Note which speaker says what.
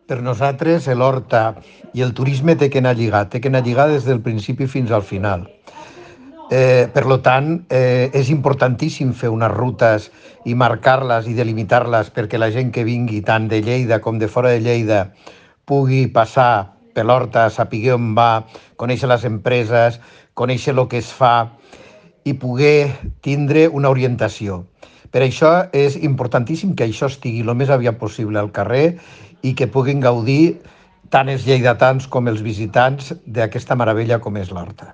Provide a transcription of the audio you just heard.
Speaker 1: Per nosaltres, l'horta i el turisme té que anar lligat, té que anar lligat des del principi fins al final. Per lo tant, és importantíssim fer unes rutes i marcar-les i delimitar-les perquè la gent que vingui tant de Lleida com de fora de Lleida pugui passar per l'horta, saber on va, conèixer les empreses, conèixer el que es fa i poder tindre una orientació. Per això és importantíssim que això estigui el més aviat possible al carrer i que puguin gaudir tant els lleidatans com els visitants d'aquesta meravella com és l'horta.